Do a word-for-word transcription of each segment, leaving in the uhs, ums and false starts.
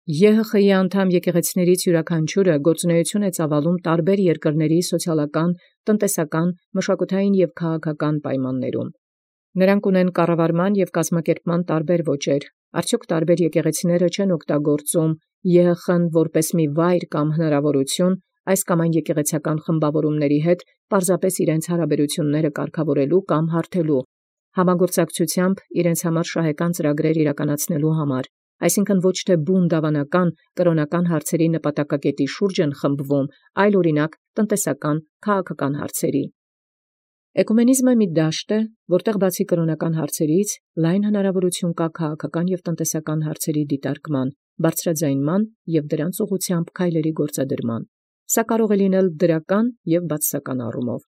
Ե Հ Խ-ի անդամ եկեղեցիներից յուրաքանչյուրը գործունեություն է ծավալում տարբեր երկրների սոցիալական, տնտեսական, մշակութային և քաղաքական պայմաններում։ Նրանք ունեն կառավարման և կազմակերպման տարբեր ոճեր, արդյոք տարբեր եկեղեցիները չեն օգտագործում Ե Հ Խ-ն որպես մի վայր կամ հնարավորություն այս կամ այն եկեղեցական խմբավորումների հետ պարզապես իրենց հարաբերությունները կարգավորելու կամ հարթելու, համագործակցությամբ իրենց համար շահեկան ծրագրեր իրականացնելու համար, այսինքն ոչ թե բուն դավանական կրոնական հարցերի նպատակակետի շուրջ են խմբվում, այլ օրինակ տնտեսական, քաղաքական հարցերի։ Էկումենիզմը մի դաշտ է, որտեղ բացի կրոնական հարցերից, լայն հնարավորություն կա քաղաքական և տնտեսական հարցերի դիտարկման, բարձրաձայնման և դրանց ուղղությամբ քայլերի գործադրման։ Սա կարող է լինել դրական և բացասական առումով։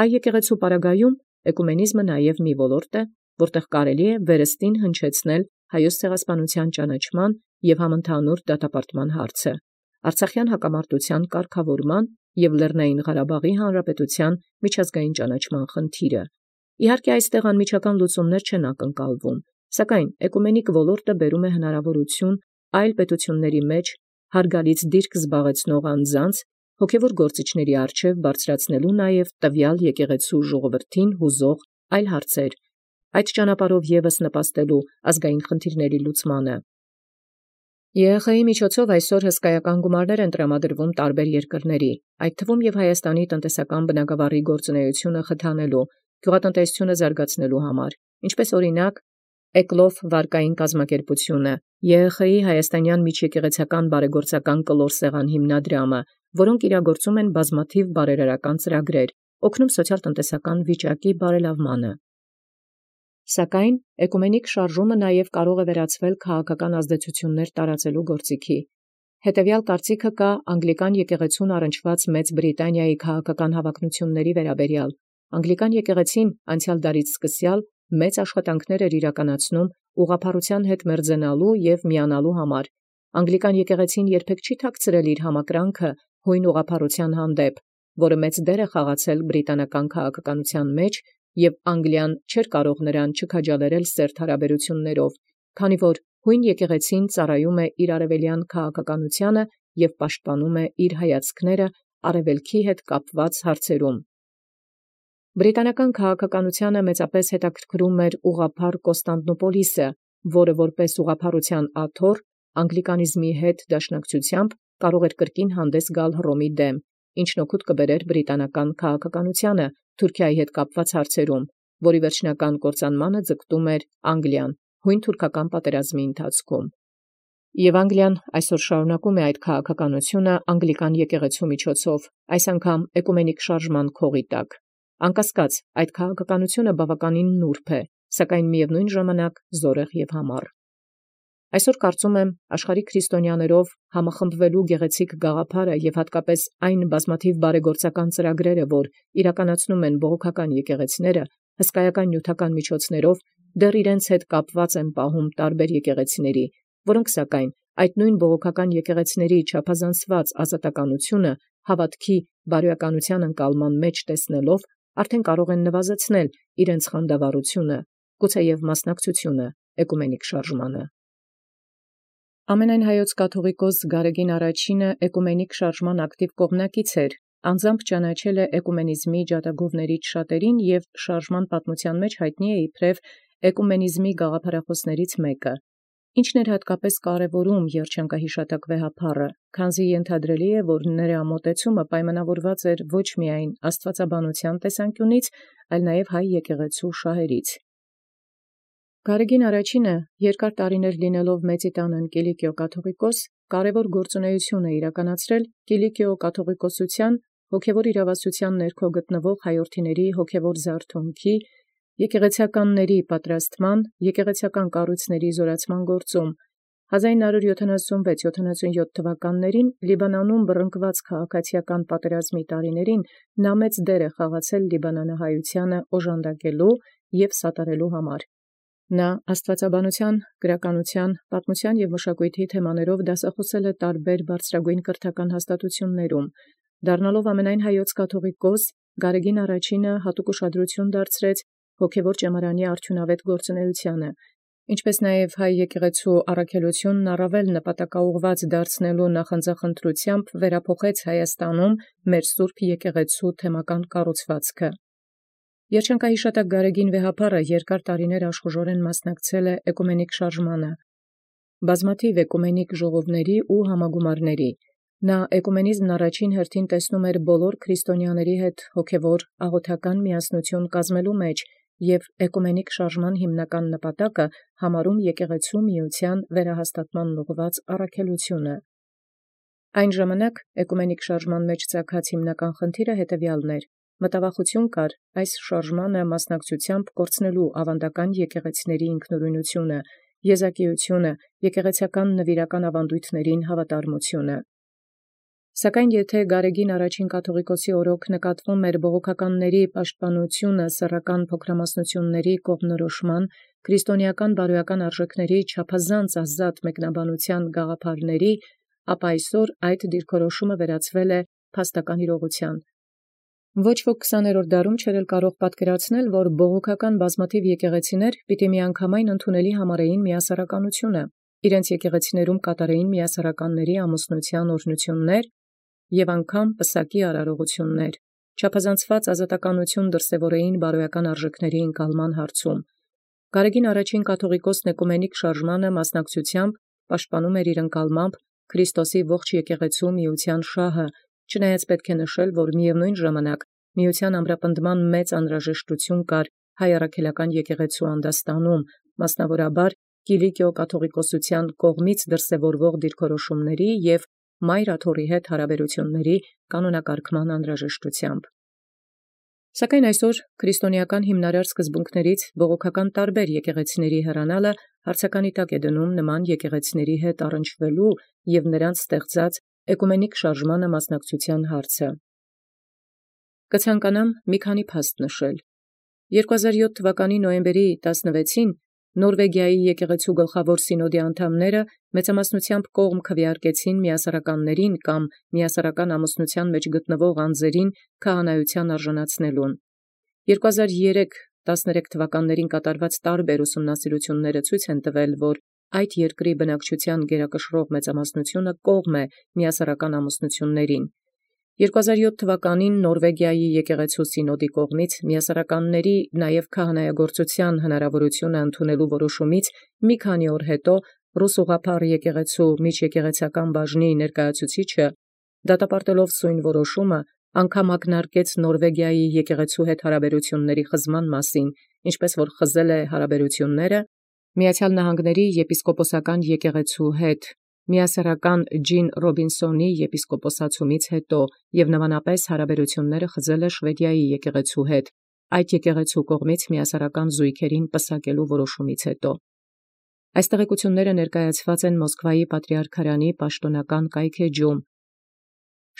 Հայ եկեղեցու պարագայում էկումենիզմը նաև մի ոլորտ է, որտեղ կարելի է վերստին հնչեցնել հայոց ցեղասպանության ճանաչման և համընդհանուր դատապարտման հարցը, Արցախյան հակամարտության կարգավորման և Լեռնային Ղարաբաղի Հանրապետության միջազգային ճանաչման խնդիրը։ Իհարկե այստեղ անմիջական լուծումներ չեն ակնկալվում, սակայն էկումենիկ ոլորտը բերում է հնարավորություն այլ պետությունների մեջ հարգալից դիրք զբաղեցնող անձանց հոգևոր գործիչների առջև բարձրացնելու նաև տվյալ եկեղեցու ժողովրդին հուզող այլ հարցեր, այդ ճանապարհով ևս նպաստելու ազգային խնդիրների լուծմանը։ Ե Հ Խ-ի միջոցով այսօր հսկայական գումարներ են տրամադրվում տարբեր երկրների, այդ թվում և Հայաստանի տնտեսական բնագավառի գործունեությունը խթանելու, գյուղատնտեսությունը զարգացնելու համար, ինչպես օրինակ Էկլոֆ վարկային կազմակերպությունը, Ե Հ Խ-ի հայաստանյան միջեկեղեցական բարեգործական կլոր սեղան հիմնադրամը, որոնք իրագործում են բազմաթիվ բարերարական ծրագրեր, օգնում սոցիալ-տնտեսական վիճակի բարելավմանը։ Սակայն էկումենիկ շարժումը նաև կարող է վերածվել քաղաքական ազդեցություններ տարածելու գործիքի։ Հետևյալ կարծիքը կա անգլիկան եկեղեցուն առնչված Մեծ Բրիտանիայի քաղաքական հավակնությունների վերաբերյալ։ Անգլիկան եկեղեցին անցյալ դարից սկսյալ մեծ աշխատանքներ էր իրականացնում ուղղափառության հետ մերձենալու և միանալու համար։ Անգլիկան եկեղեցին երբեք չի թաքցրել իր համակրանքը հույն ուղղափառության հանդեպ, որը մեծ դեր է խաղացել բրիտանական քաղաքականության մեջ, և Անգլիան չէր կարող նրան չքաջալերել սերտ հարաբերություններով, քանի որ հույն եկեղեցին ծառայում է իր արևելյան քաղաքականությանը և պաշտպանում է իր հայացքները արևելքի հետ կապված հարցերում։ Բրիտանական քաղաքականությանը մեծապես հետաքրքրում էր ուղղափառ Կոստանդնուպոլիսը, որը որպես ուղղափառության աթոռ անգլիկանիզմի հետ դաշնակցությամբ կարող էր կրկին հանդես գալ Հռոմի դեմ, ինչն օգուտ կբերեր բրիտանական քաղաքականությանը Թուրքիայի հետ կապված հարցերում, որի վերջնական կործանմանը ձգտում էր Անգլիան հույն թուրքական պատերազմի ընթացքում։ Եւ Անգլիան այսօր շարունակում է այդ քաղաքականությունը անգլիկան եկեղեցու միջոցով, այս անգամ էկումենիկ շարժման քողի տակ։ Անկասկած, այդ քաղաքականությունը բավականին նուրբ է, սակայն միևնույն ժամանակ զորեղ և համառ։ Այսօր կարծում եմ աշխարհի քրիստոնյաներով համախմբվելու գեղեցիկ գաղափարը և հատկապես այն բազմաթիվ բարեգործական ծրագրերը, որ իրականացնում են բողոքական եկեղեցիները, հսկայական նյութական միջոցներով դեռ իրենց հետ կապված են պահում տարբեր եկեղեցիների, որոնք սակայն այդ նույն բողոքական եկեղեցիների չափազանցված ազատականությունը հավատքի բարոյականության ընկալման մեջ տեսնելով արդեն կարող են նվազեցնել իրենց խանդավառությունը, գուցեև մասնակցությունը էկումենիկ շարժմանը։ Ամենայն հայոց կաթողիկոս Գարեգին Արաչինը էկումենիկ շարժման ակտիվ կողմնակից էր, անձամբ ճանաչել է էկումենիզմի ջատագովներից շատերին և շարժման պատմության մեջ հայտնի է իբրև էկումենիզմի գաղափարախոսներից մեկը, ինչն էր հատկապես կարևորում երջանկահիշատակ վեհափառը, քանզի ենթադրելի է, որ նրա մոտեցումը պայմանավորված էր ոչ միայն աստվածաբանության տեսանկյունից, այլ նաև հայ եկեղեցու շահերից։ Գարեգին Արաչինը երկար տարիներ լինելով Մեծիտանն Կիլիկիո կաթողիկոս, կարևոր գործունեություն է իրականացրել Կիլիկիո կաթողիկոսության հոգևոր իրավասության ներքո գտնվող հայրենիների հոգևոր զարթոնքի, եկեղեցականների պատրաստման, եկեղեցական կառույցների զորացման գործում։ հազար նոց յոթանասունվեց յոթանասունյոթ թվականներին Լիբանանում բռնկված քաղաքացիական պատերազմի տարիներին նա մեծ դեր է խաղացել լիբանանահայությանը օժանդակելու և սատարելու համար։ Նա աստվածաբանության, գրականության, պատմության և մշակույթի թեմաներով դասախոսել է տարբեր բարձրագույն կրթական հաստատություններում, դառնալով ամենայն հայոց կաթողիկոս, Գարեգին Արաչինը հատուկ ուշադրություն դարձրեց հոգևոր ճեմարանի արդյունավետ գործունեությանը, ինչպէս նաև հայ եկեղեցու առաքելութիւնն առավել նպատակաուղղված դարձնելու նախանձախնդրութեամբ վերափոխեց Հայաստանում մեր Սուրբ եկեղեցու թեմական կառուցվածքը։ Երջանկահիշատակ Գարեգին Վեհափառը երկար տարիներ աշխուժորեն մասնակցել է էկումենիկ շարժմանը, բազմաթիվ էկումենիկ ժողովների ու համագումարների։ Նա էկումենիզմն առաջին հերթին տեսնում էր բոլոր քրիստոնյաների հետ հոգևոր աղոթական միասնություն կազմելու մեջ և էկումենիկ շարժման հիմնական նպատակը համարում եկեղեցու միության վերահաստատման ուղղված առաքելությունը։ Այն ժամանակ էկումենիկ շարժման մեջ ծագած հիմնական խնդիրը հետևյալն էր. մտավախություն կար այս շարժմանը մասնակցությամբ կորցնելու ավանդական եկեղեցիների ինքնուրույնությունը, եզակիությունը, եկեղեցական նվիրական ավանդույթներին հավատարմությունը։ Սակայն եթե Գարեգին առաջին կաթողիկոսի օրոք նկատվում էր բողոքականների պաշտպանությունը սեռական փոքրամասնությունների կողմնորոշման, քրիստոնեական բարոյական արժեքների չափազանց ազատ մեկնաբանության գաղափարների, ապա այսօր այդ դիրքորոշումը վերածվել է փաստական իրողության։ Ոչ ոք քսաներորդ դարում չէր էլ կարող պատկերացնել, որ բողոքական բազմաթիվ եկեղեցիներ պիտի միանգամայն ընդունելի համարեին միասեռականությունը, իրենց եկեղեցիներում կատարեին միասեռականների ամուսնության օրհնություններ և անգամ պսակի արարողություններ, չափազանցված ազատականություն դրսևորեին բարոյական արժեքների ընկալման հարցում։ Գարեգին առաջին կաթողիկոսն էկումենիկ շարժմանը մասնակցությամբ պաշտպանում էր իր ընկալմամբ Քրիստոսի ողջ եկեղեցու միության շահը, չնայած պետք է նշել, որ միևնույն ժամանակ միության ամրապնդման մեծ անհրաժեշտություն կար հայ առաքելական եկեղեցու անդաստանում, մասնավորաբար Կիլիկիո կաթողիկոսության կողմից դրսևորվող դիրքորոշումների և Մայր Աթոռի հետ հարաբերությունների կանոնակարգման անհրաժեշտությամբ։ Սակայն այսօր քրիստոնեական հիմնարար սկզբունքներից բողոքական տարբեր եկեղեցիների հեռանալը հարցականի տակ է դնում նման եկեղեցիների հետ առնչվելու և նրանց ստեղծած էկումենիկ շարժմանը մասնակցության հարցը։ Կցանկանամ մի քանի փաստ նշել։ երկու հազար յոթ թվականի նոյեմբերի տասնվեցին Նորվեգիայի եկեղեցու գլխավոր սինոդի անդամները մեծամասնությամբ կողմ քվեարկեցին միասեռականներին կամ միասեռական ամուսնության մեջ գտնվող անձերին քահանայության արժանացնելուն։ երկու հազար երեք տասներեք թվականներին կատարված տարբեր ուսումնասիրությունները ցույց են տվել, որ այդ երկրի բնակչության գերակշռող մեծամասնությունը կողմ է միասեռական ամուսնություններին։ երկու հազար յոթ թվականին Նորվեգիայի եկեղեցու սինոդի կողմից միասեռականների նաև քահանայագործության հնարավորությունը ընդունելու որոշումից մի քանի օր հետո Ռուս ուղղափառ եկեղեցու միջեկեղեցական բաժնի ներկայացուցիչը դատապարտելով սույն որոշումը անգամ ակնարկեց Նորվեգիայի եկեղեցու հետ հարաբերությունների խզման մասին, ինչպես որ խզել է հարաբերությունները Միացյալ Նահանգների եպիսկոպոսական եկեղեցու հետ միասեռական Ջին Ռոբինսոնի եպիսկոպոսացումից հետո և նմանապես հարաբերությունները խզել է Շվեդիայի եկեղեցու հետ այդ եկեղեցու կողմից միասեռական զույգերին պսակելու որոշումից հետո։ Այս տեղեկությունները ներկայացված են Մոսկվայի պատրիարքարանի պաշտոնական կայքէջում։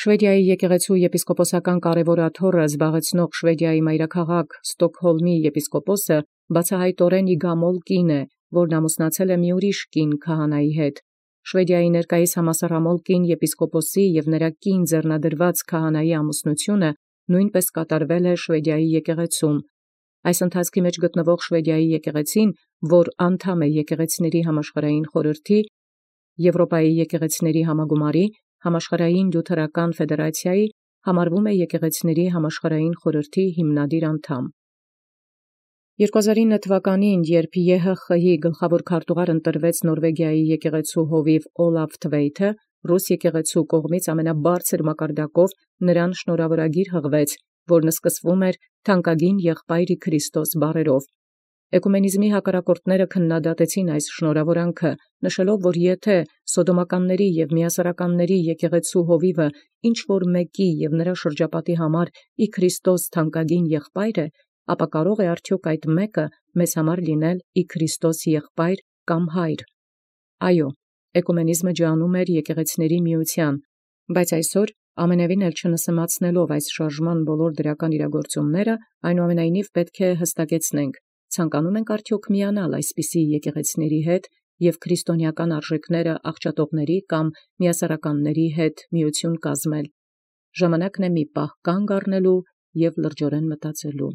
Շվեդիայի եկեղեցու եպիսկոպոսական կարևոր աթոռը զբաղեցնող Շվեդիայի մայրաքաղաք Ստոկհոլմի եպիսկոպոսը բացահայտորեն իգամոլ կին է, որն ամուսնացել է մի ուրիշ կին քահանայի հետ։ Շվեդիայի ներկայիս համասեռամոլ կին եպիսկոպոսի և նրա կին ձեռնադրված քահանայի ամուսնությունը նույնպես կատարվել է Շվեդիայի եկեղեցում։ Այս ընթացքի մեջ գտնվող Շվեդիայի եկեղեցին, որ անդամ է եկեղեցիների համաշխարհային խորհրդի, Եվրոպայի եկեղեցիների համագումարի, համաշխարհային լյութերական ֆեդերացիայի, համարվում է եկեղեցիների համաշխարհային խորհրդի հիմնադիր անդամ։ երկու հազար ինը թվականին, երբ Ե Հ Խ-ի գլխավոր քարտուղար ընտրվեց Նորվեգիայի եկեղեցու հովիվ Օլաֆ Թվեյթը, Ռուս եկեղեցու կողմից ամենաբարձր մակարդակով նրան շնորհավորագիր հղվեց, որն սկսվում էր «Թանկագին եղբայրի Քրիստոս» բառերով։ Էկումենիզմի հակառակորդները քննադատեցին այս շնորհավորանքը, նշելով, որ եթե սոդոմականների և միասեռականների եկեղեցու հովիվը ինչ որ մեկի և նրա շրջապատի համար ի Քրիստոս թանկագին եղբայր է, ապա կարող է արդյոք այդ մեկը մեզ համար լինել ի Քրիստոս եղբայր կամ հայր։ Այո, էկումենիզմը ջանում էր եկեղեցիների միության, բայց այսօր ամենևին էլ չնսեմացնելով այս շարժման բոլոր դրական իրագործումները, այնուամենայնիվ պետք է հստակեցնենք. ցանկանում ենք արդյոք միանալ այսպիսի եկեղեցիների հետ և քրիստոնեական արժեքները աղճատողների կամ միասեռականների հետ միություն կազմել։ Ժամանակն է մի պահ կանգ առնելու և լրջորեն մտածելու։